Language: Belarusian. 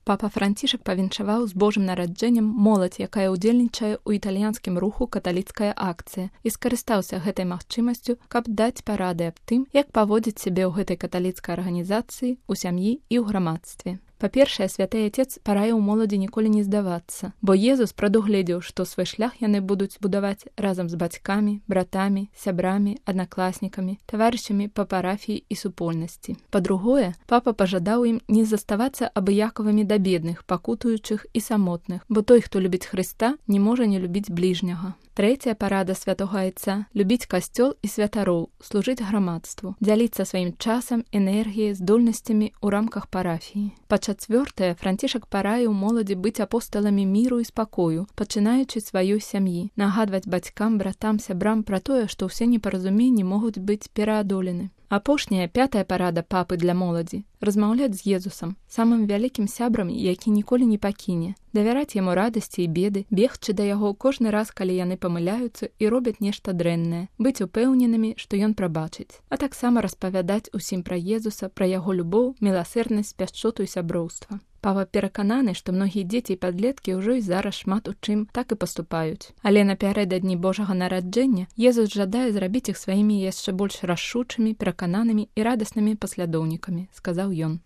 Папа Францішак павіншаваў з Божым нараджэннем моладзь, якая ўдзельнічае ў італьянскім руху «Каталіцкая акцыя», і скарыстаўся гэтай магчымасцю, каб даць парады аб тым, як паводзіць сябе ў гэтай каталіцкай арганізацыі, у сям'і і ў грамадстве. Па-першае, святы Отец параіў моладзі ніколі не здавацца, бо Езус прадугледзеў, што свой шлях яны будуць будаваць разам з бацькамі, братамі, сябрамі, аднакласнікамі, таварышамі па парафіі і супольнасці. Па-другое, папа пажадаў ім не заставацца абыякавымі да бедных, пакутуючых і самотных, бо той, хто любіць Хрыста, не можа не любіць бліжняга. Трэцяя парада святога Айца – любіць касцёл і святароў, служыць грамадству, дзяліцца сваім часам, энергіяй, здольнасцямі ў рамках парафіі. Па-чацвёртае, Францішак параіў моладзі быць апосталамі міру і спакою, пачынаючы сваёй сям'і, нагадваць бацькам, братам, сябрам пра тое, што ўсе непаразуменні могуць быць пераадолены. Апошняя, пятая парада папы для моладзі – размаўляць з Езусам, самым вялікім сябрам, які ніколі не пакіне, давяраць яму радасці і беды, бегчы да яго кожны раз, калі яны памыляюцца і робяць нешта дрэннае, быць упэўненымі, што ён прабачыць, а таксама распавядаць усім пра Езуса, пра яго любоў, міласэрнасць, пяшчоту і сяброўства. Папа перакананы, што многія дзеці і падлеткі ўжо і зараз шмат у чым так і паступаюць. Але напярэдадні Божага нараджэння Езус жадае зрабіць іх сваімі яшчэ больш рашучымі, перакананымі і радаснымі паслядоўнікамі, сказаў ён.